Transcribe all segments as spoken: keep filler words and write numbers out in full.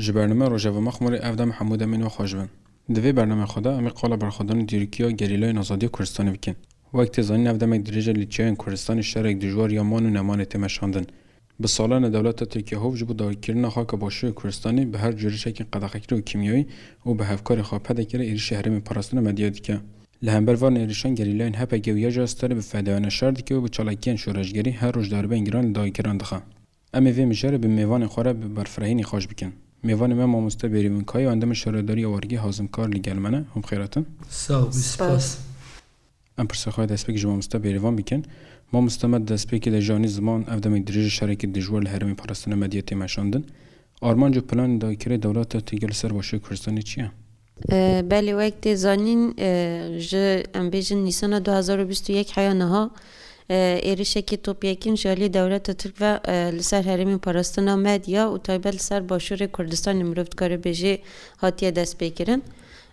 Ji bername Rojeva Mexmûrê ev dem hemû demên we xweş bin. Di vê bernamê xwe de em ê qala berxwedanên dîrokî ya gerîlayên azadiya Kurdistanê bikin. Wek tê zanîn, ev demek dirêj e li çiyayên Kurdistanê şerek dijwar ya man û nemanê tê meşandin. Bi salan e dewleta Tirkiye hov ji bo dagirkirina xaka Başûrê Kurdistanê bi her cûrişekî qedexekirî û kîmyewî û bi hevkarê xwe P D K re êrişî herêmê parastina medya dike. Li hember van êrişan gerîlayên H P G û YJA Starê bi fedayane şer dike û bi çalakiyên şoreşgerî her roj daribeyên giran li dagirkeran dixe. Em ê vê mijarê bi mêvanên xwe re bi berfirehînî xweş bikin. Mêvanê me mamoste Bêrîvan Kaya, endamê şaredariya wargê Hazim Kar li gel me ne. Hûn bi xêr hatin. Sağ ol, spas. Em pirsê xwe ya destpêkê ji mamoste Bêrîvan bikin. Mamoste, me di destpêkê de jî anî ziman, ev demek dirêj e şerekî dijwar li herêmê parastina medya tê meşandin. Armanc û planên dagirkerê dewleta Tirkiye li ser Başûrê Kurdistanê çi ye? E, belê, wek tê zanîn, e, ji, em bêjin, Nîsana du hezar û bîst û yek heya niha, e, êrişekî topyekîn ji alî dewleta Tirk ve, e, li ser herêmên parastina medya û taybet li ser Başûrê Kurdistanê, mirov dikare bêjê, hatiye destpêkirin.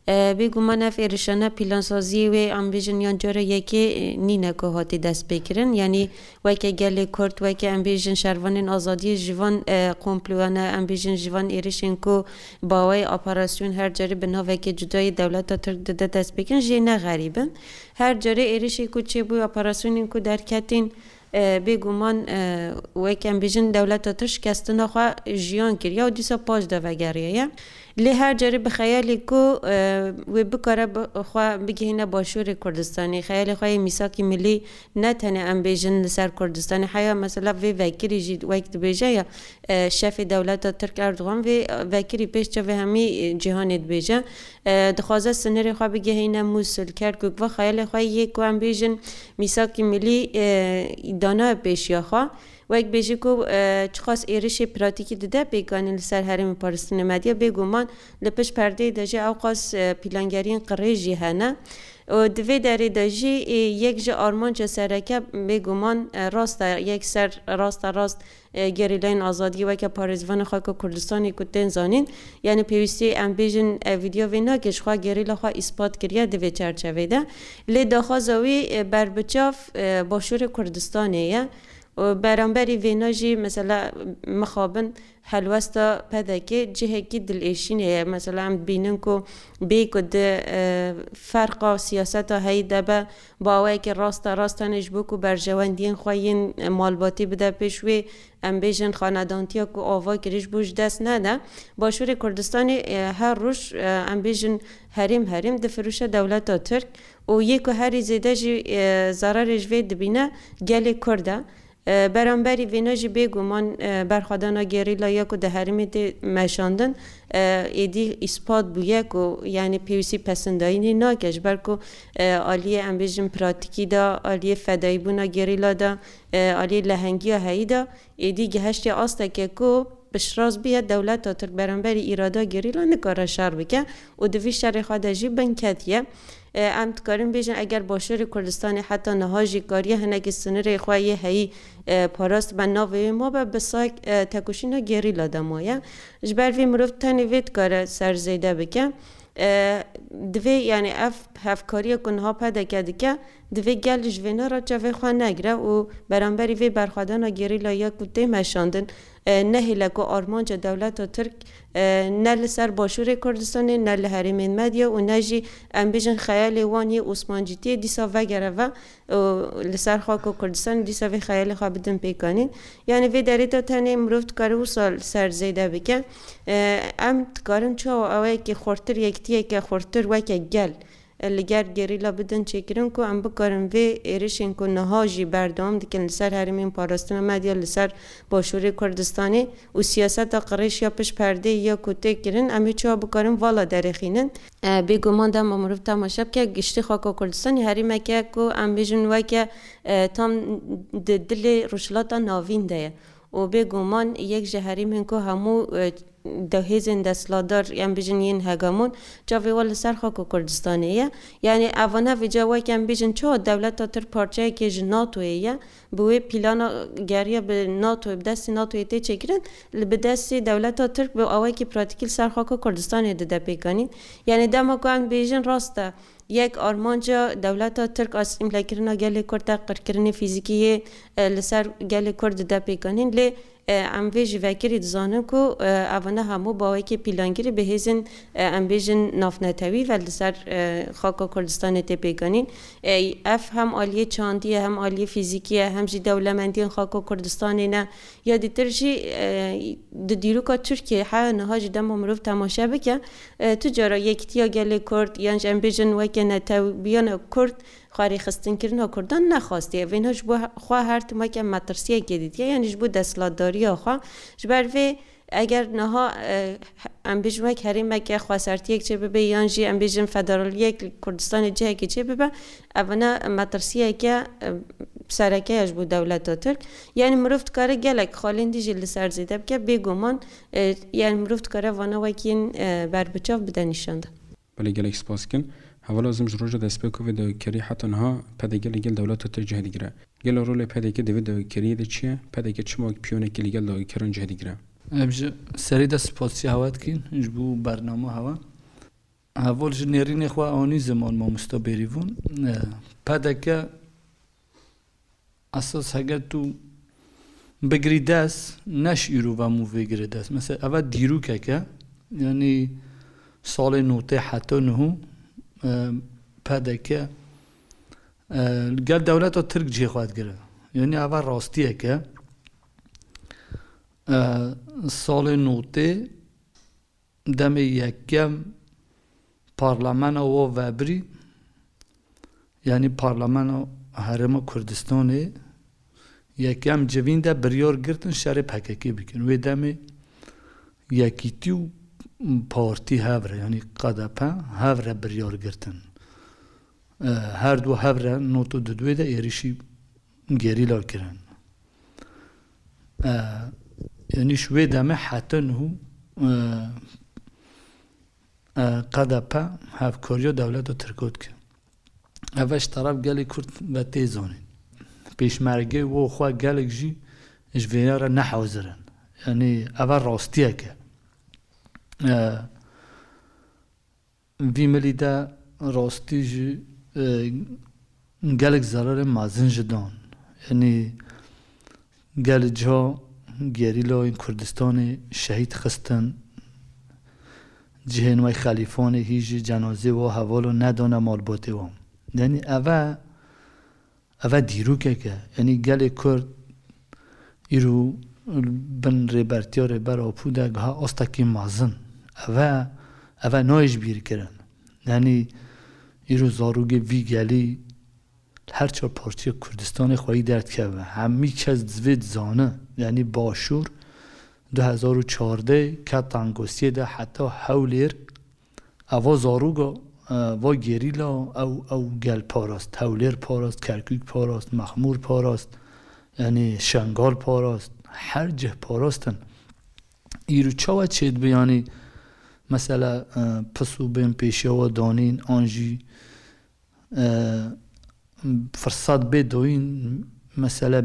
E, bêguman ev êrişane plansaziyê wê, em bêjin, yan cara yekê, e, nîne ku hatî destpêkirin. Yanî weke gelê Kurd, weke, em bêjin, şervanên azadiyê ji van, e, komployane, em bêjin, ji van êrişên ku bi awayê operasyon her carê bi navekê cudayê dewleta Tirk dide destpêkirin, jê ne xerîb in. Her carê êrişê ku çêbû, operasyonên ku derketîn, e, bêguman, e, wek em bêjin, dewleta Tirk şikestina xwe jiyan kiriye û dîsa paş de vegeriyaye. Lê her carê bi xeyalê ku, e, wê bikare bi-, xwe bigihîne Başûrê Kurdistanê, xeyalê xwe yê mîsakî milî ne tenê, em bêjin, li ser Kurdistanê, heya mesela vê vekirî jî wek dibêje ya, e, şefê dewleta Tirk Erdogan vê vekirî pêş çavê hemî, e, cîhanê dibêje. E, dixwaze sinirê xwe bigihîne Mûsil, Kerkûk, va xeyalê xwe yê ku em bêjin mîsakî milî, e, dana pêşiya xwe. Wek bêjî ku, e, çiqas êrişê pratîkî dide pêkanîn li ser herêmê parastinê medya, bêguman li pişt perdeyê de jî ewqas, e, plangeriyên qirêj jî hene. Û di vê derê de jî, e, yek ji armanca sereke bêguman, e, rast e, yek ser, rast e, rast, e, gerîlayên azadiyê weke parêzvanê xaka Kurdistanê ku tên zanîn, yanî pêwîstî em bêjin, e, vîdyo vê nake, ji xwe gerîla xwe îspat kiriye di vê çerçevê de. Lê daxwaza wî, e, berbiçav, e, Başûrê Kurdistanê ye. Û beramberî vêna jî, mesela, mixabin helwesta P D K cihekî dilêşînê ye. Mesela, em dibînin ku bê ku di, e, ferqa siyaseta heyî de be, bi awayekî raste rast tenê ji bo ku berjewendiyên xwe yên, e, malbatî bide pêş wê, em bêjin, xanedantiya ku ava kirî ji bo ji dest nede. Başûrê Kurdistanê, e, her roj, e, em bêjin, herêm herêm difiroşe dewleta Tirk û yê ku herî zêde jî, e, zerarê ji vê dibîne gelê Kurd e. E, beramberî vêna jî bêguman, e, berxwedana gerîla ya ku di herêmê tê meşandin, e, êdî îspat bûye ku, yanî, pêwîstî pesindayînê nake, ji ber ku, e, aliyê, em bêjin, pratîkî de, aliyê fedayîbûna gerîla de, e, aliyê lehengiya heyî de êdî gihiştiye asteke ku piştrast bûye, dewleta Tirk beramberî îrada gerîla nikare şer bike û di vî şerê xwe de jî bin ketiye. E, em dikarin bêjin, eger Başûrê Kurdistanê heta niha jî kariye hinekî sinirê xwe yê heyî, e, parast be, navê wê mabe, bi sayek, e, tekoşîna gerîla de maye. Ji ber vê mirov tenê vê dikare ser zêde bike. E, divê, yanî, ev hevkariya ku niha P D K dike, divê gel ji vêna re çavê xwe negire û beramberî vê berxwedana gerîla ya ku tê meşandin, e, nehêle ku armanca dewleta Tirk, e, ne li ser Başûrê Kurdistanê, ne li herêmên medya û ne jî, em bêjin, xeyalê wan yê Osmancîtiyê dîsa vegere ve û li ser xaka Kurdistanê dîsa vê xeyalê xwe bidin pêkanîn. Yanî vê derê de tenê mirov dikare wisa li ser zêde bike. E, em dikarin çawa awayekî xurtir, yekitiyeke xurtir weke gel, e, li gel gerîla bidin çêkirin ku em bikarin vê êrişên ku niha jî berdewam dikin li ser herêmên parastina medya, li ser Başûrê Kurdistanê û siyaseta qirêj ya pişt perdeyê ya ku tê kirin, em ê çawa bikarin vala derêxînin. E, bêguman dema mirov temaşe bike, giştî xaka Kurdistanê herêmeke ku em bêjin weke, e, tam di dilê Rojhilata Navîn de ye. Û bêguman yek ji herêmên ku hemû, e, de hêzên desthilatdar, em bêjin, yên hegemon, çavê wan li ser xaka Kurdistanê ye. Yanî evana vêca wek em bêjin, çawa dewleta Tirk parçeyekê ji NATOyê ye, bi wê plana geriya bi NATO, bi destê NATOyê tê çêkirin, li bi destê dewleta Tirk bi awayekî pratîkî li ser xaka Kurdistanê dide pêkanîn. Yanî dema ku em bêjin rast e, yek armanca dewleta Tirk asîmlekirina gelê Kurd e, qirkirinê fîzîkî yê, e, li ser gelê Kurd dide pêkanîn. Lê E, em vê jî vekirî dizanin ku, e, evane hemû bawekê pîlangirî bi hêzên, e, em bêjin navnetewî ve li ser, e, xaka Kurdistanê tê pêkanîn. E, ev hem aliyê çandî ye, hem aliyê fîzîkî ye, hem jî dewlemendiyên xaka Kurdistanê ne. Ya dîtir jî, e, di dîroka Tirkiyeyê heya niha jî dema mirov temaşe bike, e, tu cara yekîtiya gelê Kurd, yan jî em bêjin weke netewbiyana Kurd, xwe rêxistinkirina Kurdan nexwastiye. Vêna ji bo xwe her tim weke metirsiyekê dîtiye, yanî ji bo desthilatdariya xwe. Ji ber vê eger niha, e, em bêjin wek herêmeke xwesertiyek çê bibe, yan jî em bêjin federaliyek li Kurdistanê cihekê çê bibe, evana metirsiyeke, e, sereke ye ji bo dewleta Tirk. Yanî mirov dikare gelek xalên dî jî li ser zêde bike, bêguman, e, yanî mirov dikare vana wekî yên, e, berbiçav bide nîşan de. Belê, gelek spas dikin. Hevala ez ê ji roja destpêka vê dawîkeriyê heta niha P D K li gel dewleta Tirk cih digire. Gelo rolê P D K di vê dawîkeriyê de çi ye? P D K çima wek piyonekê li gel dawîkeran cih digire? Em ji serî de spasiya hewa dikin ji bo bernama hewa. Heval ji nêrînê xwe anî ziman mamosta Bêrîvan. E, P D K esas heger tu bigirî dest, ne ji îro ve mû vê girê dest. Mesela, eva dîrokek e, yanî salê notê heta niho, e, P D K, e, li gel dewleta Tirk cihê xwe digire. Yanî eva rastiyek e. E, salê notê demê yekem parlemena wa vebirî, yanî parlemena Herêma Kurdistanê yekem civîn de biryar girtin şerê P K K bikin. Wê demê yekîtî û partî hev re, yanî K D P hev re biryar girtin. E, her du hev re nod û dudwê de êrişî gerîla kirin. E, yanî ji wê demê heta niho, e, e, K D P hevkariya dewleta Tirko dike. Ev ji teref gelê Kurd ve tê zanîn. Pêşmergê wo xwe gelek jî ji vêya re ne hazir in. Yanî eva rastiyek e. E, Vî milî de rastî jî, e, gelek zerarê mezin ji dan. Yanî gelê ciha gerîlayên Kurdistanê şehîd xistin, cihên wê xelîfanê hî jî cenazê wa hevala nedane malbatê wan. Yanî eve Eve dîrokek e. Yanî gelê Kurd îro bin rêbertiya Rêber Apo de giha astekî mezin. Eve, eve nayê ji bîr kirin. Yanî îro zarokê vî gelî her çar parçeya Kurdistanê xweyî derdikeve. Hemî kes divê dizane. Yanî Başûr du hezar û çardeh ket tengosiyê de heta Hewlêr. Eva zaroga, e, va gerîla ew, ew gel parast, Hewlêr parast, Kerkûk parast, Mexmûr parast, yanî Şengal parast, her cih parastin. Îro çawa çêdibe, yanî mesela, e, pis û bên pêşiya we danîn, an jî e, firsat bê doyîn, mesela,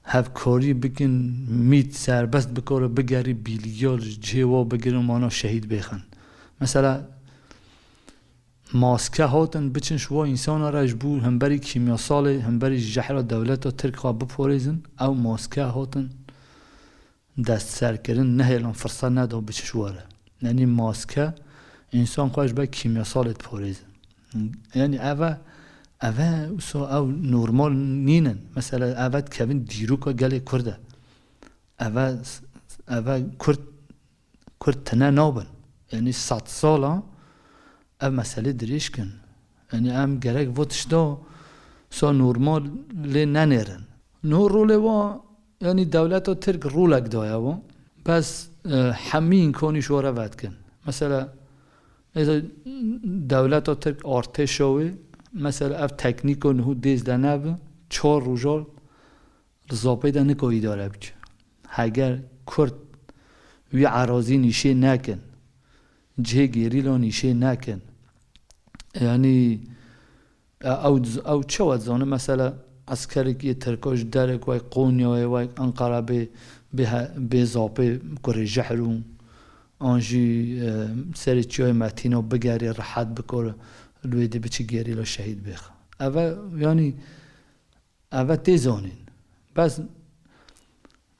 hevkarî bikin, mît serbest bikore, bigerî bîliya li cihê wa bigirin, wana şehîd bêxin. Mesela, maske hatin biçin ji wa însana re ji bo hemberî kîmyasalê, hemberî jehra dewleta Tirk xwe biparêzin, ew maske hatin destserkirin, nehêlan firsat neda biçe ji we re. Yanî maske însan xwe ji ber kîmyasalê diparêze. Yanî eve, eve wisa ew normal nînin. Mesela eve dikevin dîroka gelê Kurd e. Eve, eve Kurd, Kurd tine nabin. Yanî sed sala ev meselê dirêj kin. Yanî em gerek va tişta sa normal lê nenêrin. No rolê wa, yanî dewleta Tirk rolek daye wa. Bes, e, hemî îmkanî ji wa re vedikin. Mesela, êza dewleta Tirk artêşa wê, mesela ev teknîka niho dêz de nebe, çar roja li Zapê de nika îdare bike. Heger Kurd wî erazî nîşê nekin, cihê gerîla nîşê nekin, yanî, e, ew, ew çawa dizane, mesela, eskerekî yê Tirka ji derek wek Qonyayê, wek Enqera bê, bê he-, bê Zapê kurê jehr û an jî, e, serê çiyayê Metîna bigerê, rehet bikore, li wê dê biçe gerîla şehîd bêxe. Eve, yanî, Eve tê zanîn. Bes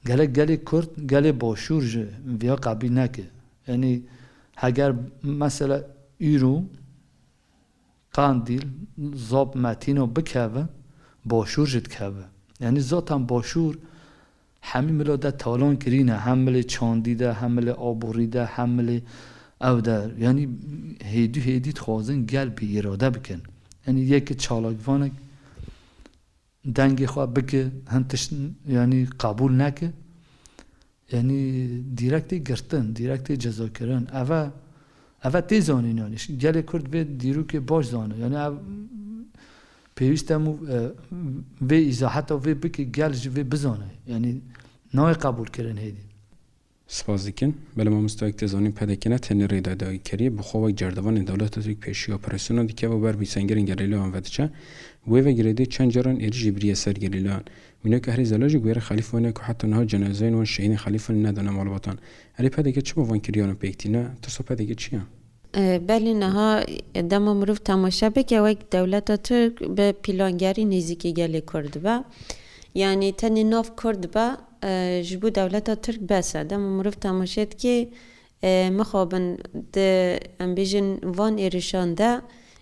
Gelek gelê Kurd, gelê Başûr ji viya qebîl neke. Yanî heger mesela îro Qandîl, Zap, Metîno bikeve, Başûr jî dikeve. Yanî zaten Başûr hemî milo de talan kirîne, hem milê çandî de, hem milê aborî de, hem milê ew de. Yanî hêdî hêdî dixwazin gel bi îrade bikin. Yanî yekî çalakvanek dengê xwe bike, hin tişt, yanî qebûl neke. Yanî dîrekt tê girtin, dîrekt tê cezakirin. Eve, eve tê zanîn yanî. Gelê Kurd vê dîrokê baş zane. Yanî ev pêwîst e hemû, e, vê îzaheta vê bike, gel jî vê bizane. Yanî nayê qebûlkirin hêdî. Spas dikin. Belê mamosta, wek tê zanîn P D K ne tenê rêdayî dagirkeriyê, bi xwe wek cerdevanê dewleta Tirk pêşiya operasyona dike û ber bi sengerên gerîlayan ve diçe. Wê ve girêdayî çend caran êrîş jî biriye ser gerîlayan. Mînak Ehrê Zela jî guhêre Xelîf Vanê ku heta niha cenazeyên wan şehîdên Xelîf Vanê nedane malbatan. Erê P D K çima van kiriyanan pêk tîne? Tirsa P D K çi ye? E, belê niha dema mirov temaşe bike, wek dewleta Tirk bi plangerî nêzîkî gelê Kurd be. Yanî tenê nav Kurd be, e, ji bo dewleta Tirk bes e. Dema mirov temaşe dike, e, mixabin di, em bêjin, van êrişan de,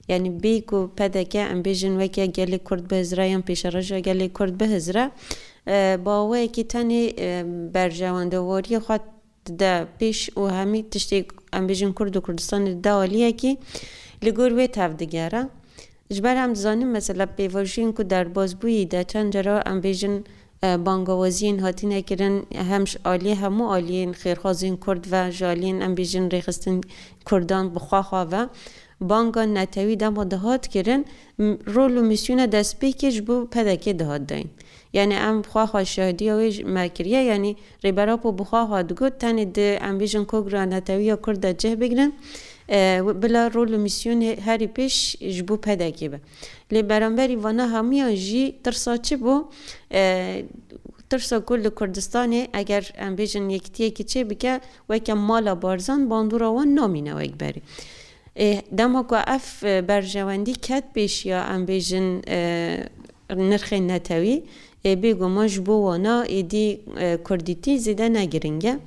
yanî bê ku P D K, em bêjin, weke gelê Kurd bihizre yan pêşeroja gelê Kurd bihizre, e, bi awayekî tenê, e, berjewendewariyê xwe dide pêş û hemî tiştê, em bêjin, Kurd û Kurdistanê dide aliyekî li gor wê tevdigere. Ji ber em dizanin, mesela, pêvajoyên ku derbas bûyî de çend cara, em bêjin, e, bangawaziyên hatine kirin, hem ji aliyê hemû aliyên xêrxwazên Kurd ve, ji aliyên, em bêjin, rêxistin Kurdan bi xwe xwe ve, banga netewî dema dihat kirin, m-, rol û mîsyona destpêkê ji bo P D K dihat dayîn. Yanî em xwe xwe şahidiya wê ji me kiriye, yanî Rêber Apo bi xwe xwe digot, tenê di, em bêjin, kongra netewî ya Kurd de cih bigrin, e, bila rol û mîsyonê herî pêş ji bo P D K be. Lê beramberî vana hemûyan jî tirsa çi bû? E, tirsa ku li Kurdistanê eger, em bêjin, yekitiyekî çêbike, weke mala Barzan bandora wan namîne wek berê. Ê, dema ku ev, e, berjewendî ket pêşiya, em bêjin, e, nirxên netewî, ê, bêguman ji bo wana êdî, e, kurdîtî zêde ne giring e.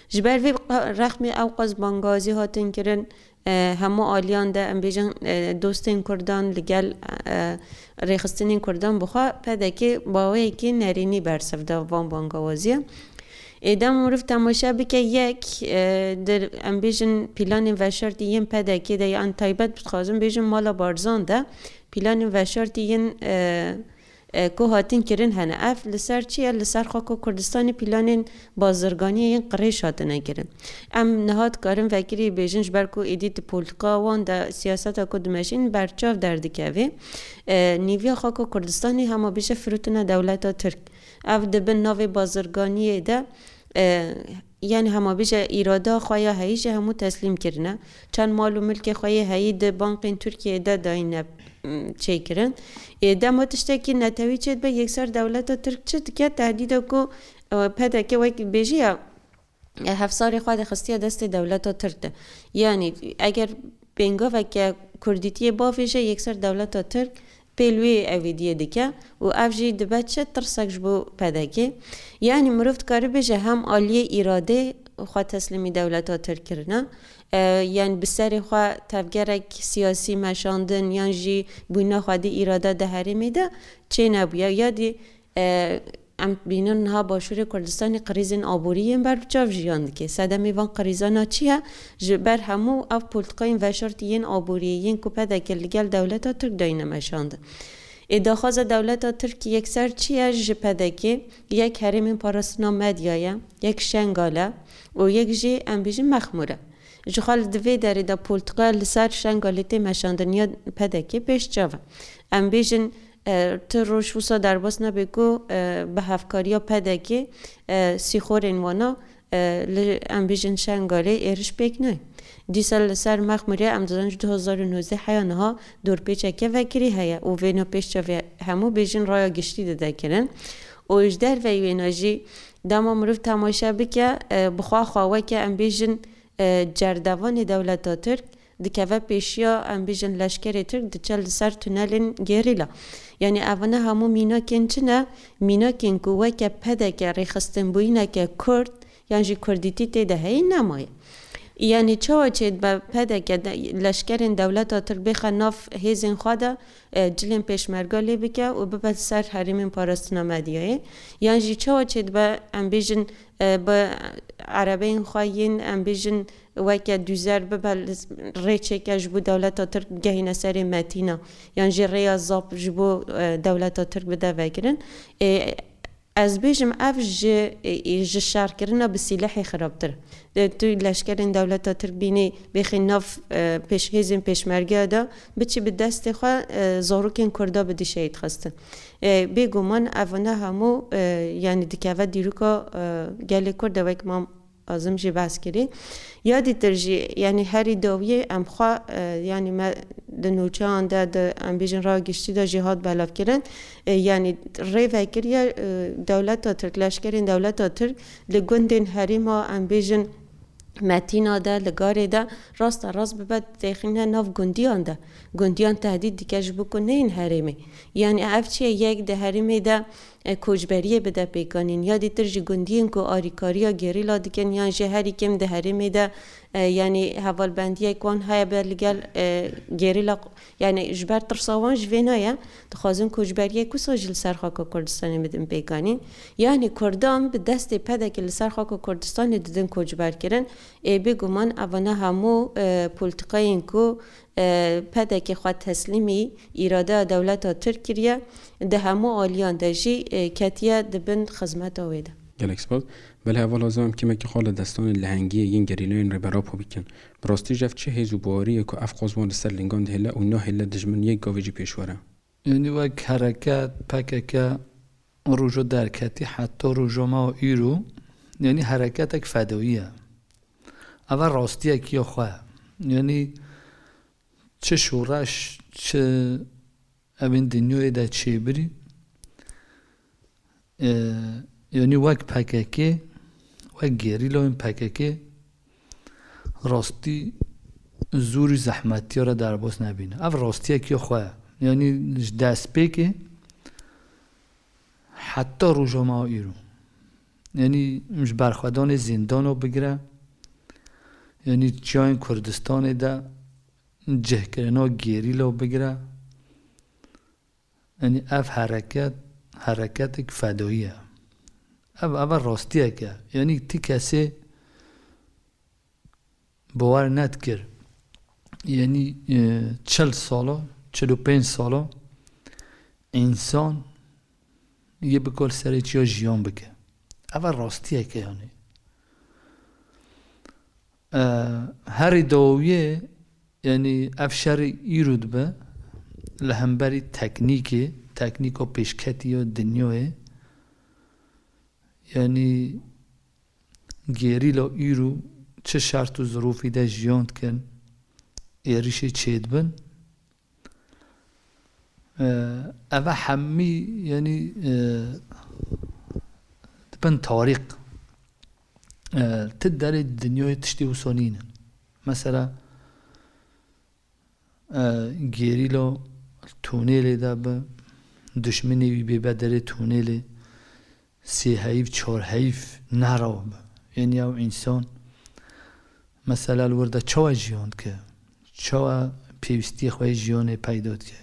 Ji ber vê qa-, rexmê ewqas bangazî hatin kirin, e, hemû aliyan de, em bêjin, e, dostên Kurdan li gel, e, rêxistinên Kurdan bi xwe P D K bi awayekî nerînî bersiv da van bangawaziya. Ê, dema mirov temaşe bike, yek, e, di, em bêjin, planên veşartî yên P D K de, yan taybet dixwazim bêjim mala Barzan de, planên veşartî yên, e, e, ku hatin kirin hene. Ev li ser çi ye? Li ser xaka Kurdistanê planên bazirganiyê yên qirêj hatine kirin. Em niha dikarin vekirî bêjin, ji ber ku êdî di polîtika wan de siyaseta ku dimeşîn berçav derdikeve. E, nîviya xaka Kurdistanê hema bêje firûtine dewleta Tirk. Ev di bin navê bazirganiyê de, e, yanî hema bêje îrada xwe ya heyî jî hemû teslîm kirine. Çend mal û milkê xwe yê heyî di bankên Tirkiyeyê de dayîne, m, çêkirin. Ê, dema tiştekî netewî çêdibe, yekser dewleta Tirk çi dike? Tehdîda ku, e, P D K wek bêjî ya, e, hevsarê xwe de xistiye destê dewleta Tirk de. Yanî eger pêngaveke kurdîtiyê bavêje, yekser dewleta Tirk pêl wê evîdiyê dike û ev jî dibe çi, tirsek ji bo P D K. Yanî mirov dikare bêje hem aliyê îradê xwe teslîmî dewleta Tirk kirine, e, yanî bi serê xwe tevgerek siyasî meşandin yan jî bûyna xwedî îrade di herêmê de çênebûye. Ya dî, e, em dibînin niha Başûrê Kurdistanê krîzên aborî yên berbiçav jiyan dike. Sedemê van krîzana çi ye? Ji ber hemû ev polîtikayên veşartî yên aboriyê yên ku P D K li gel dewleta Tirk dayîne meşandin. Ê, daxwaza dewleta Tirk yekser çi ye ji P D K? Yek herêmên parastina medya ye, yek Şengal e û yek jî, em bêjin, Mexmûr e. Ji xwe li di vê derê de polîtika li ser Şengalê tê meşandin ya P D K pêş çav e. Em bêjin, e, tu roj wisa derbas nebe ku, e, bi hevkariya P D K, e, sîxorên wana, e, li, em bêjin, Şengalê êriş pêk nayên. Dîsa li ser Mexmûrê em dizanin ji du hezar û nozdeh heya niha dorpêçeke vekirî heye û vêna pêş çavê hemû bêjin raya giştî dide kirin. Û ji derveyî wêna jî dema mirov temaşe bike, e, bi xwe xwe weke, em bêjin, e, cerdevanê dewleta Tirk, Dikeve pêşiya, em bêjin, leşkerê Tirk diçe li ser tunelên gerîla. Yanî evane hemû mînakên çi ne? Mînakên ku weke P D K rêxistinbûyîneke Kurd yan jî Kurdîtî tê de heye nemaye. Yanî çawa çêdibe P D K de, leşkerên dewleta Tirk bêxe nav hêzên xwe de, e, cilên pêşmerga lê bike û bibe ser herêmên parastina medyayê? Yan jî çawa çêdibe, em bêjin, e, bi erebeyên xwe yên, em bêjin, weke dûzer bibe li rêçeke ji bo dewleta Tirk bigehîne serê Metîna, yan jî rêya zap ji bo, e, dewleta Tirk bide vekirin. E, ez bêjim, ev ji, e, ji şerkirina bi sîlehê xirabtir e. Tu leşkerên dewleta Tirk bînî bêxî nav, e, pêş-, hêzên pêşmergeya de, biçî bi destê xwe, e, zarokên Kurda bidî şehîd xistin. E, bêguman evane hemû, e, yanî dikeve dîroka, e, gelê Kurd de, wek mam Azim jî behs kirî. Ya dîtir jî, yanî herî dawiyê em xwe, e, yanî me di nûçeyan de, di, em bêjin, raya giştî de jî hat belavkirin. E, yanî rê vekiriye, e, dewleta Tirk, leşkerên dewleta Tirk li gundên herêma, em bêjin, Metîna de, li Garê de, rasta rast bibe têxîne nav gundiyan de. Gundiyan tehdît dike ji bo ku neyên herêmê. Yanî ev çi ye? Yek di herêmê de e, koçberiyê bide pêkanîn. Ya dîtir jî gundiyên ku arîkariya gerîla dikin yan jî herî kêm di herêmê de, e, yanî hevalbendiyek wan heye be li gel, e, gerîla, yanî ji ber tirsa wan ji vê nayê, dixwazin koçberiyek wisa jî li ser xaka Kurdistanê bidin pêkanîn. Yanî Kurdan bi destê P D K li ser xaka Kurdistanê didin koçberkirin. Ê bêguman evane hemû, e, polîtîkayên ku e, P D K xwe teslîmî îradeya dewleta Tirk kiriye, di hemû aliyan de jî, e, ketiye di bin xizmeta wê de. Gelek spas. Belê heval Azam, em kêmekî xwe li destanên lehengiyê yên gerîlayên Rêber Apo bikin. Bi rastî jî ev çi hêz û bawerî ye ku ev qaz wan li ser lingan dihêle û nahêle dijmin yek gavê jî pêş were? Yanî wek hereket P K K roja derketî heta roja me û îro, yanî hereketek fedayî ye. Ev rastiyekî xwe ye. Yanî çi şoreş, çi evên dinyayê de çêbirî, e, yanî wek P K K, wek gerîlayên P K K, rastî zor û zehmetiya re derbas nebîne. Ev rastiyekî xwe ye. Yanî ji destpêkê heta roja me îro. Yanî ji berxwedanê zîndana bigire, yanî çiyayên Kurdistanê de cihkirina gerîla bigire, yanî ev hereket, hereketek fedayî ye. Ev, ev rastiyek e. Yanî ti kesê bawer nedikir. Yanî, e, çil sala, çil û pênc sala însan yê bikol serê çiya jiyan bike. Ev rastiyek e yanî. E, herî dawiyê, yanî ev şerî îro dibe li hemberî teknîkê, teknîka pêşketî ya dinyayê. Yanî gerîla îro çi şert û zirofî de jiyan dikin, êrişê çêdibin. E, eve hemî, yanî, e, dibin tarîk. E, ti derê dinyayê tiştê wisa nînin. Mesela, e, gerîla tunêlê de bi, duşminê wî bê be derê tunêlê, sê heyv, çar heyv neraw bi. Yanî ew însan, mesela, li wir de çawa jiyan dike? Çawa pêwîstiyê xwe yê jiyanê peyda dike?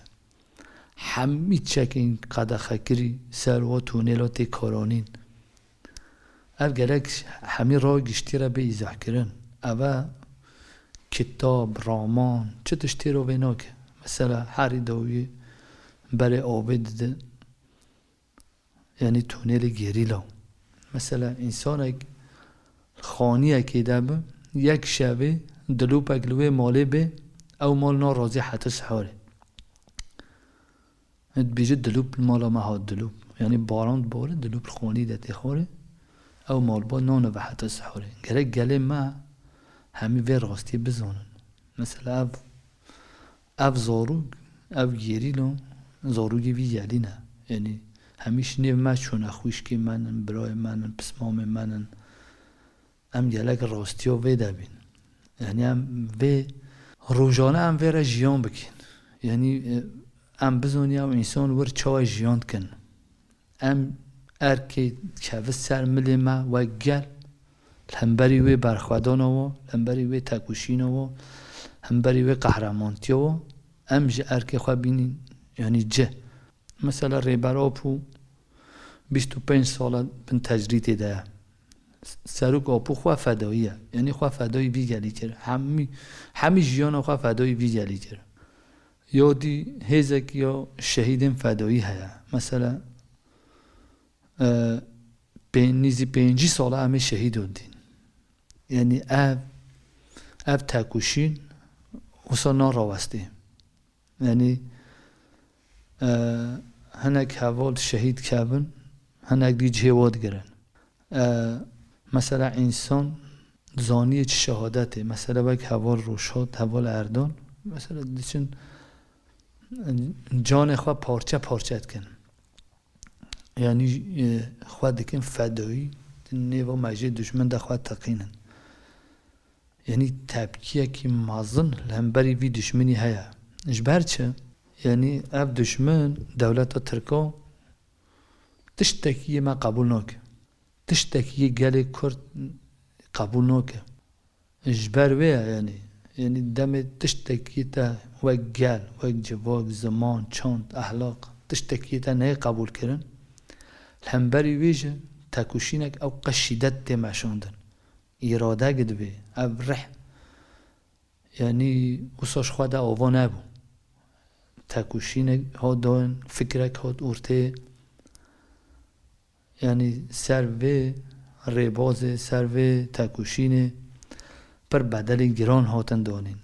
Hemî çekên qedexekirî ser wa tunêla tê karanîn. Ev gerek hemî raya giştî re bê îzahkirin. Ev e kitab, raman, çi tiştê re vê nake. Mesela herî dawiyê berê avê dide, yanî tunêlê gerîla. Mesela însanek xaniyekê de bi, yek şevê dilopek li wê malê bê, ew mal narazî heta siharê. Dibêje, dilop li mala me hat dilop. Yanî baran dibare, dilop li xanî de tê xwarê. Ew malbat nanive heta siharê. Gerek gelê me hemî vê rastiyê bizanin. Mesela ev, ev zarok, ev gerîla, zarokê vî yelî ne. Yanî hemî ji nêv me çûne, xwişkê me nin, birayê me nin, pismamê me nin. Em gelek rastiya vê de bîn. Yanî em vê Rojane em vê re jiyan bikin. Yanî, e, em bizanî ew însan wir çawa jiyan dikin. Em erkê kevin ser milê me wek gel, li hemberî wê berxwedana we, li hemberî wê tekoşîna we, hemberî wê qehremantiya we, em ji erkê xwe bînin, yanî cih. Mesela Rêber Apo bîst û pênc sal e bin tecrîdê de ye. Serok Apo xwe fedayî ye. Yanî xwe fedayî vî gelî kir. Hemî, hemî jiyana xwe fedayî vî gelî kir. Ya dî hêzek ya şehîdên fedayî heye. Mesela, e, pê-, nîzî pêncî sal e em ê şehîdan dîn. Yanî ev, ev tekoşîn wisa narawestê. Yanî, e, hinek heval şehîd kevin, hinek dî cihê we digirin. E, mesela însan zaniyê çi şehadetê, mesela wek heval Rojhat, heval Erdal, mesela diçin, e, canê xwe parçe parçe dikin. Yanî, e, xwe dikin fedayî, di nêva mejê dijmin de xwe teqînin. Yanî tepkiyekî mezin li hemberî vî dijminî heye. Ji ber çi? Yanî ev dijmin dewleta Tirk e, tiştekî yê me qebûl nake. Tiştekî yê gelê Kurd qebûl nake. Ji ber wê ye, yanî, yanî demê tiştekî te wek gel, wek civak, ziman, çand, ehlaq, tiştekî te neyê qebûlkirin, li hemberî wê jî tekoşînek ew qas şîdet tê meşandin. Îradek dibe, ev rih, yanî wisa ji xwe de ava nebû. Tekoşînek hat dayîn, fikrek hat ortê. Yanî ser vê rêbazê, ser vê tekoşînê pir bedelê giran hatin danîn.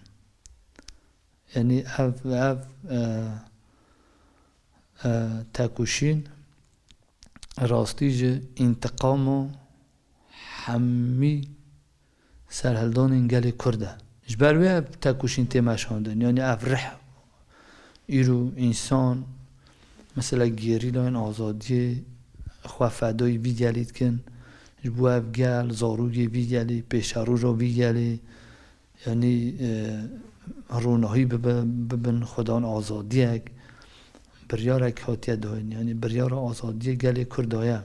Yanî ev, ev, e, e, tekoşîn rastî ji întiqama hemî serhildanên gelê Kurd e. Ji ber wê ev tekoşîn tê meşandin. Yanî ev rih îro însan, mesela gerîlayên azadiyê xwe fedayî vî gelî dikin. Ji bo ev gel, zarokê vî gelî, pêşeroja vî gelî, yanî, e, ronahî bibe, bibin xwedan azadiyek, biryarek hatiye dayîn. Yanî biryara azadiyê gelê Kurd daye.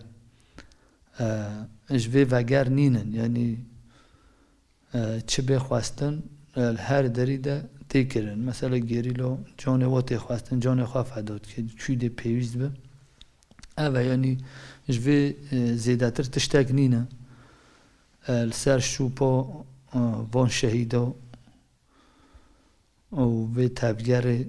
E, ji vê veger nînin. Yanî, e, çi bê xwestin, e, li her derî de tê kirin. Mesela gerîlo canê we tê xwestin, canê xwe feda dike, çû dê pêwîst be. Ev e, yanî ji vê, e, zêdetir tiştek nîne. E, li ser şûpa, e, van şehîda û vê tevgerê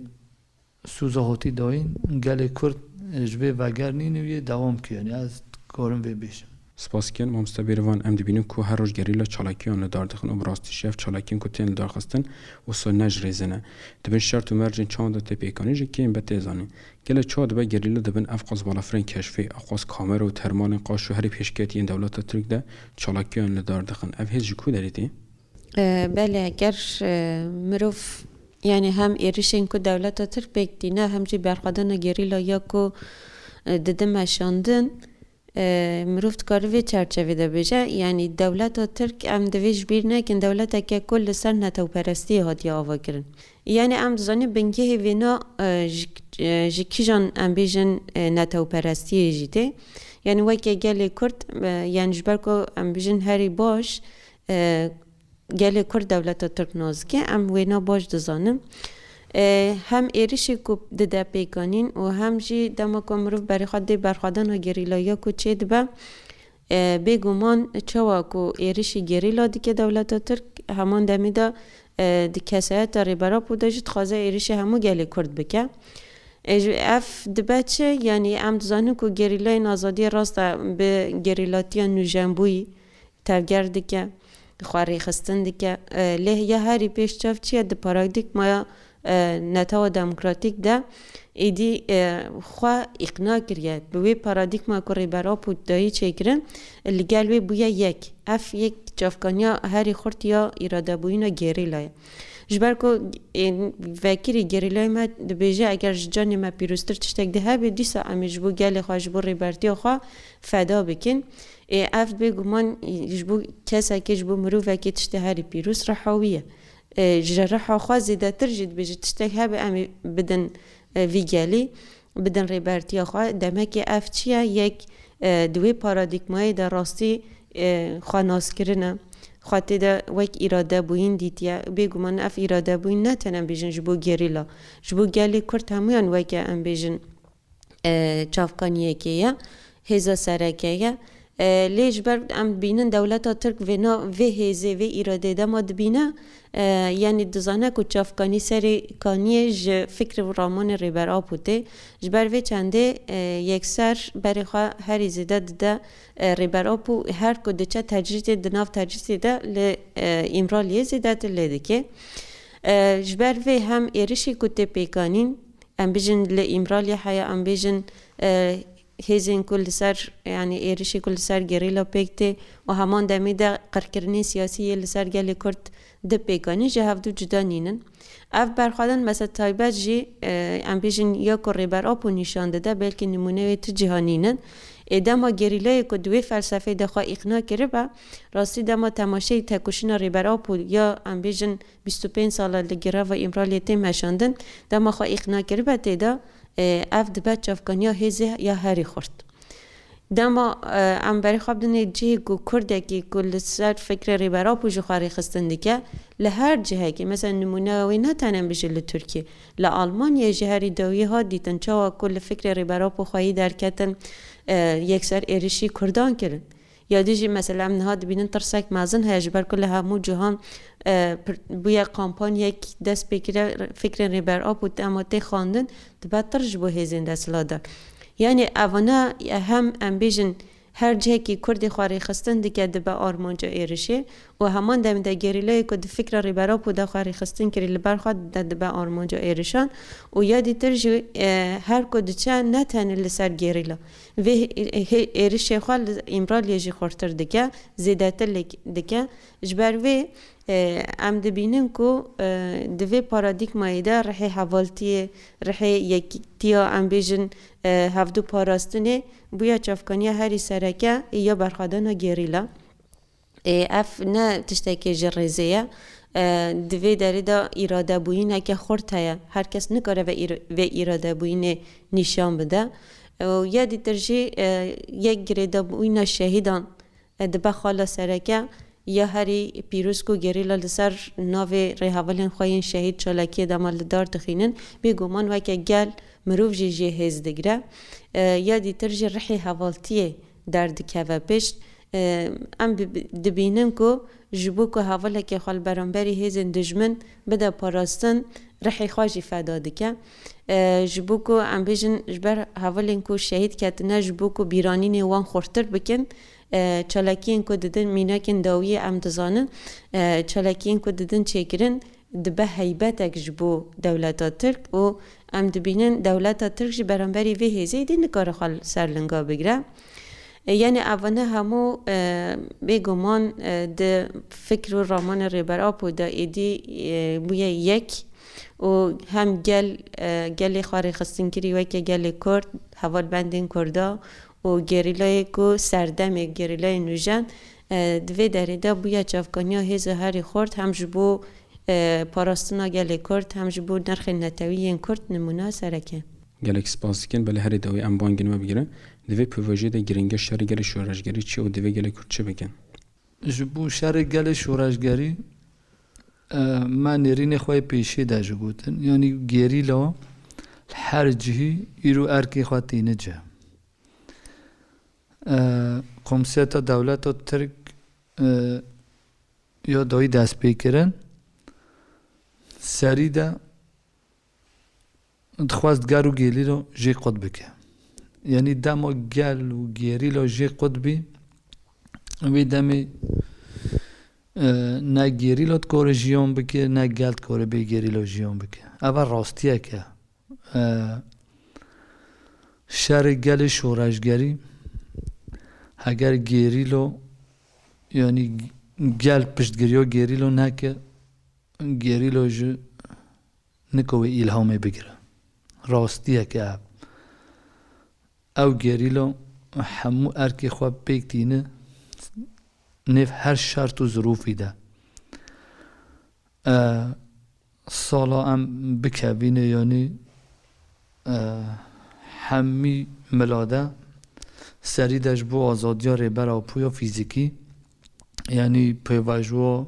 sûza hatî dayîn, gelê Kurd ji vê veger nîne û yê dewam kir. Yanî ez dikarim vê bêjim. Spas dikin, mamoste Bêrvan, em dibînin ku her roj gerîla çalakiyan li dar dixin û bi rastî jî ev çalakiyên ku tên li dar xistin wisa ne ji rêzê ne. Di bin şert û mercên çawan de tê pêkanîn jî kêm be tê zanîn. Gelek çawa dibe gerîla dibin ev qas balafirên keşfê, ew qas kamera û termalên qaş û herî pêşketî yên dewleta Tirk de çalakiyan li dar dixin. Ev hêz ji ku derê tê? E, belê, eger, e, mirov, yanî hem êrişên ku dewleta Tirk pêk tîne, hem jî berxwedana gerîla ya ku, e, dide meşandin, e, mirov dikare vê çerçevê de bêje, yanî dewleta Tirk, em divê ji bîr nekin, dewleteke ku li ser netewperestiyê hatiye avakirin. Yanî em dizanîn bingehê vêna, e, ji, e, ji kîjan em bêjin, e, netewperestiyê jî tê. Yanî weke gelê Kurd, e, yanî ji ber ku em bêjin herî baş, e, gelê Kurd dewleta Tirk nas dike, em wêna baş dizanin. E, hem êrişê ku dide pêkanîn û hem jî dema ku mirov berê xwe dê berxwedana gerîlaya ku çêdibe, e, bêguman çawa ku êrişî gerîla dike dewleta Tirk, heman demê de, e, di kesayeta Rêber Apo de jî dixwaze êrişê hemû gelê Kurd bike. E, ji, ev dibe çi? Yanî em dizanin ku gerîlayên azadiyê rast e bi gerîlatiya nûjenbûyî tevger dike, xwe rêxistin dike. E, lê ya herî pêş çav çi ye? Di paradîgmaya, e, netewa demokratîk de êdî, e, xwe îqna kiriye. Bi wê paradîgma ku Rêber Apo dayî çêkirin, li gel wê bûye yek. Ev yek çavkaniya herî xurt ya îradebûyîna gerîla ye. Ji ber ku, e, vekirî gerîlayê me dibêje, eger ji canê me pîroztir tiştek de hebe, dîsa em ê ji bo gelê xwe, ji bo rêbertiya xwe feda bikin. Ê, ev bêguman ji bo kesekê, ji bo mirovekê tiştê herî pîroz re hawî ye. E, ji reha xwe zêdetir jî dibêje tiştek hebe em ê bidin, e, vî gelî, bidin rêbertiya xwe. Demekê ev çi ye? Yek, e, di wê paradîgmayê de rastî, e, xwe naskirin e. Xwe tê de wek îradebûyîn dîtiye. Bêguman ev îradebûyîn ne tenê em bêjin ji bo gerîla, ji bo gelê Kurd hemûyan weke em bêjin, e, çavkaniyekê ye, hêza sereke ye. E, lê ji ber em dibînin dewleta Tirk vê na-, vê hêzê, vê îradê dema dibîne, e, yanî dizane ku çavkanî serê kaniyê ji fikr û ramanê Rêber Apo tê. Ji ber vê çendê, e, yekser berê xwe herî zêde dide, e, Rêber Apo her ku diçe tecrîdê di nav tecrîdê de li, e, Îmraliyê zêdetir lê dike. E, ji ber vê hem êrişî ku tê pêkanîn, em bijin li Îmraliyê heye, em bijin, e, hêzên ku li ser, yanî êrişê ku li ser gerîla pêk tê û heman demê de qirkirinên siyasî yê li ser gelê Kurd di pêkanî ji hevdu cuda nînin. Ev berxwedin mesela taybet jî, e, em bijin ya ku Rêber Apo nîşan dide, belkî nimûne wê tu ciha nînin. Ê dema gerîlayê ku di wê felsefeyê de xwe îqna kiribe, rastî dema temaşeyî tekoşîna Rêber Apo ya em bijin bîst û pênc sala li girava Îmraliyê tê meşandin, dema xwe îqna kiribe tê de, e, ev dibe çavkaniya hêzê ya herî xurt. Dema, e, em berê xwe bidinê cihê ku Kurdekî ku li ser fikrê Rêber Apo jî xwe rêxistin dike, li her cihekê, mesela nimûneya wê ne tenê em bijî li Tirkiyê, li Almanyayê jî herî dawiyê hat dîtin, çawa ku li fikrê Rêber Apo xweyî derketin, e, yekser êrişî Kurdan kirin. Ya dî jî mesela em niha dibînin tirsek mezin heye, ji ber ku li hemû cihan, e, pir-, bûye kampanyek dest pê kire, fikrên Rêber Apo dema tê xwendin, dibe tirş ji bo hêzên desthilatdar. Yanî evana hem em bêjin her cihekî Kurdê xwe rêxistin dike dibe armanca êrişê û heman demê de gerîlayê ku di fikra Rêber Apo de xwe rêxistin kirî li ber xwe de dibe armanca êrişan û ya dîtir jî, e, her ku diçe ne tenê li ser gerîla. Vê hê-, hê-, êrişê xwe li Îmraliyê jî xurtir dike, zêdetir lê dike. Ji ber vê, e, em dibînin ku, e, di vê paradîgmayê de rihê hevaltiyê, rihê yekîtiya, em bêjin, e, hevdu parastinê bûye çavkaniya herî sereke ya berxwedana gerîla. Ê, ev ne tiştekê ji rêzê ye. E, di vê derê de îradebûyîneke xurt heye. Her kes nikare vê îr-, vê îradebûyînê nîşan bide. Û ya dîtir jî, e, yek girêdabûyîna şehîdan, e, dibe xala sereke ya herî pîroz ku gerîla li ser navê rêhevalên xwe yên şehîd çalakiyê dema li dar dixînin. Bêguman weke gel mirov jî jê hêz digire. E, ya dîtir jî rihê hevaltiyê derdikeve pişt. E, em bi-, bi-, dibînin ku ji bo ku hevalekê xwe li beramberî hêzên dijmin bide parastin, rihê xwe jî feda dike. E, ji bo ku em bêjin ji ber hevalên ku şehîd ketine, ji bo ku bîranînê wan xurtir bikin, e, çalakiyên ku didin mînakên dawiyê em dizanin, e, çalakiyên ku didin çêkirin, dibe heybetek ji bo dewleta Tirk û em dibînin dewleta Tirk jî beramberî vê hêzê dî nikare xwe li ser linga bigire. E, yanî evane hemû, e, bêguman, e, di fikr û ramanê Rêber Apo de êdî, e, bûye yek û hem gel, e, gelê xwe rêxistinkirî weke gelê Kurd, hevalbendên Kurda û gerîlayê ku serdemê gerîlayê nûjen, e, di vê derê de bûye çavkaniya hêza herî xurt hem ji bo e, parastina gelê Kurd, hem ji bo nirxên netewî yên Kurd nimûna sereke. Gelek spas dikin, belê herî dawî em bangên we bigirin. Di vê pêvajoyê de giringiya şerê gelê şoreşgerî çi û divê gelê Kurd çi bikin? Ji bo şerê gelê şoreşgerî, e, me nêrînê xwe yê pêşî de jî gotin. Yanî gerîla li her cihî îro erkê xwe tîne cih. E, komseta dewleta Tirk, e, ya dawî dest pê kirin, serî de dixwest ger û gerîla jê qut bike. Yanî dema gel û gerîla jê qut bî, wê demê, e, ne gerîla dikare jiyan bike, ne gel dikare bê gerîla jiyan bike. Ev rastiyek e. E, şerê gelê şoreşgerî, heger gerîlo, yanî gel piştgiriya gerîlo neke, gerîlo jî nika wê îlhamê bigire. Rastiyek e ev. Ew gerîlo hemû erkê xwe pêk tîne nêv her şert û zirûfî de. E, sala em bikevîne, yanî, e, hemî milade serî de ji bo azadiya Rêber Apo ya fîzîkî, yanî pêvajoya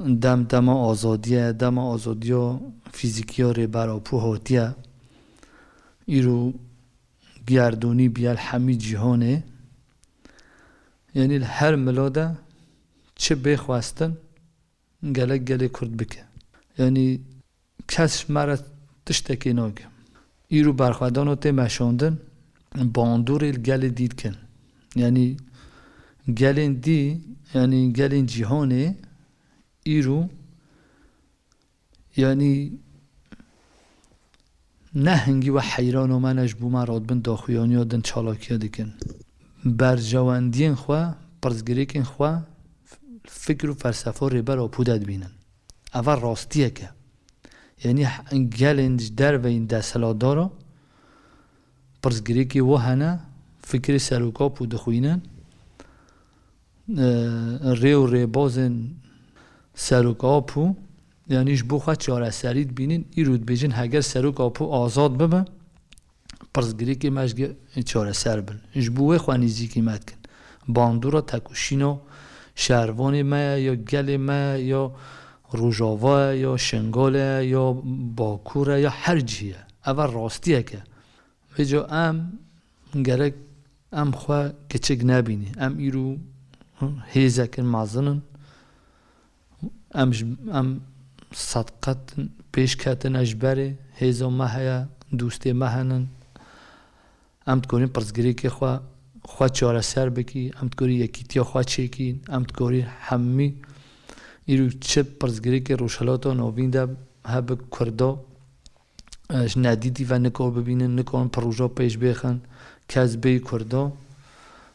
dem dema azadiye, dema azadiya fîzîkî ya Rêber Apo hatiye. Îro gerdûnî bîye li hemî cîhanê. Yanî li her milade çi bê xwestin, gelek gelê Kurd bike. Yanî kes ji me re tiştekê nake. Îro berxwedana tê meşandin, bandorê li gelê dî dikin. Yanî gelên dî, yanî gelên cîhanê îro, yanî ne hingî we heyran û me ne ji bo me radibin daxuyaniya din çalakiya dikin. Berjewendiyên xwe, pirsgirêkên xwe, fikr û felsefa Rêber Apo de dibînin. Eva rastiyek e. Yanî gelên ji derveyîn desthilatdara pirsgirêkê wi hene, fikrê Serok Apo dixwînin, e, rê û rêbazên Serok Apo, yanî ji bo xwe çareserî dibînin, îro dibêjin heger Serok Apo azad bibe, pirsgirêkê me ji ge-, çareser bin. Ji bo wê xwe nêzîkî me dikin. Bandora tekoşîna şervanê me ye, ya gelê me ye, ya Rojava ye, ya Şingal e, ya Bakur e, ya her cihê ye. Eva rastiyek e. Vêca em gerek em xwe kiçik nebînî. Em îro hêzekin mezin in. Em ji, em sedqet pêş ketine ji berê. Hêza me heye, dostê me henin. Em dikorîn pirsgirêkê xwe, xwe çareser bikî. Em dikorî yekîtiya xwe çêkî. Em dikorî hemî îro çi pirsgirêkê Rojhilata Navîn de hebe Kurda, e, ji nedîtî ve nikor bibînin, nikorin proje pêş bêxin, kes bêyî Kurda,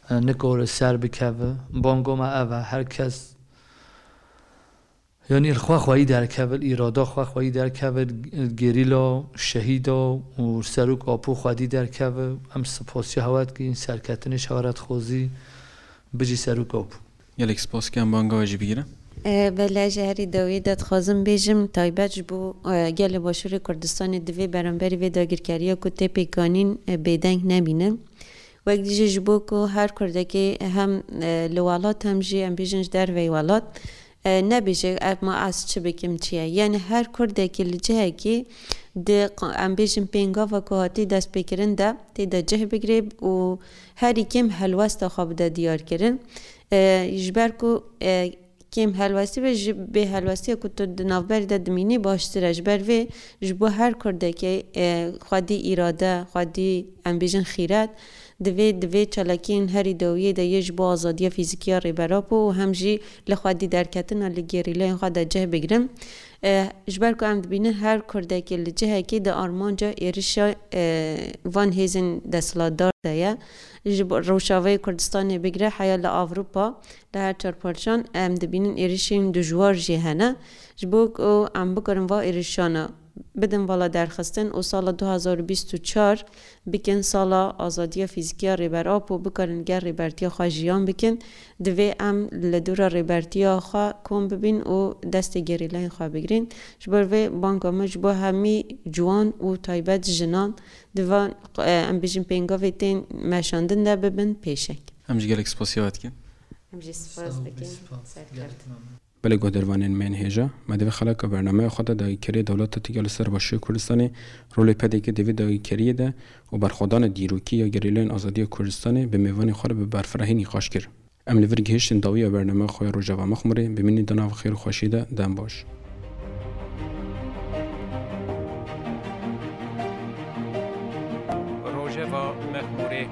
e, nikore ser bikeve. Banga me ev e, her kes, yanî li xwe xweyî derkeve, li îrada xwe xweyî derkeve, li gerîla, şehîda û Serok Apo xwedî derkeve. Em spasiya hewe dikin, serketinê ji hewe re dixwazî, bijî Serok Apo. Gelek spas dikim, banga we jî bigire. E, belê, ji herî dawiyê de dixwazim bêjim, taybet ji bo, e, gelê Başûrê Kurdistanê divê beramberî vê dagirkeriya ku tê pêkanîn, e, bêdeng nebînin. Wek jî ji bo ku her Kurdekê hem, e, li welat hem jî em bêjin ji derveyî welat, e, nebêje ev ma ez çi bikim çi ye. Yani her Kurdekî li cihekî di q-, em bêjin pêngava ku hatî destpêkirin de tê de cih bigire û herî kêm helwesta xwe bide diyarkirin. E, ji ber ku, e, kêm helwestî be, ji bê helwestiya ku tu di navberê de dimînî baştir e. Ji ber vê ji bo her Kurdekê, e, xwedî îrade, xwedî em bêjin xîret, divê, divê çalakiyên herî dawiyê de yê ji bo azadiya fîzîkî ya Rêber Apo û hem jî li xwedî derketina li gerîlayên xwe de cih bigrin. E, ji ber ku em dibînin her Kurdekê li cihekê di armanca êrişa, e, van hêzên desthilatdar de ye. Ji bo Rojavayê Kurdistanê bigire heya li Ewropa, li her çar parçan em dibînin êrişên dijwar jî hene. Ji bo ku em bikarin va êrişana bidin vala derxistin û sala du hazar û bîst û çar bikin sala azadiya fîzîkî ya Rêber Apo, bikarin gel rêbertiya xwe jiyan bikin, divê em li dora rêbertiya xwe kom bibîn û destê gerîlayên xwe bigrin. Ji ber vê banga me ji bo hemî ciwan û taybet jinan di van, e, em bêjin pêngavê tên meşandin de bibin pêşek. Em jî gelek spasiya we dikin. Em jî spas dikin. Serkeft. Belê guhdarvanên me yên hêja, me di vê xeleka bernameya xwe de dagîrkeriyê dewleta Tirkiye li ser Başûrê Kurdistanê, rolê P D K di vê dagîrkeriyê de û berxwedana dîrokî ya gerîlayên azadiya Kurdistanê bi mêvanên xwe re bi berfirehî nîqaş kir. Em li vir gihiştin dawiya bernameya xwe ya Rojava Mexmûrê, bimînin di nav xêr û xweşiyê de, dem baş. Rojava Mexmûrê.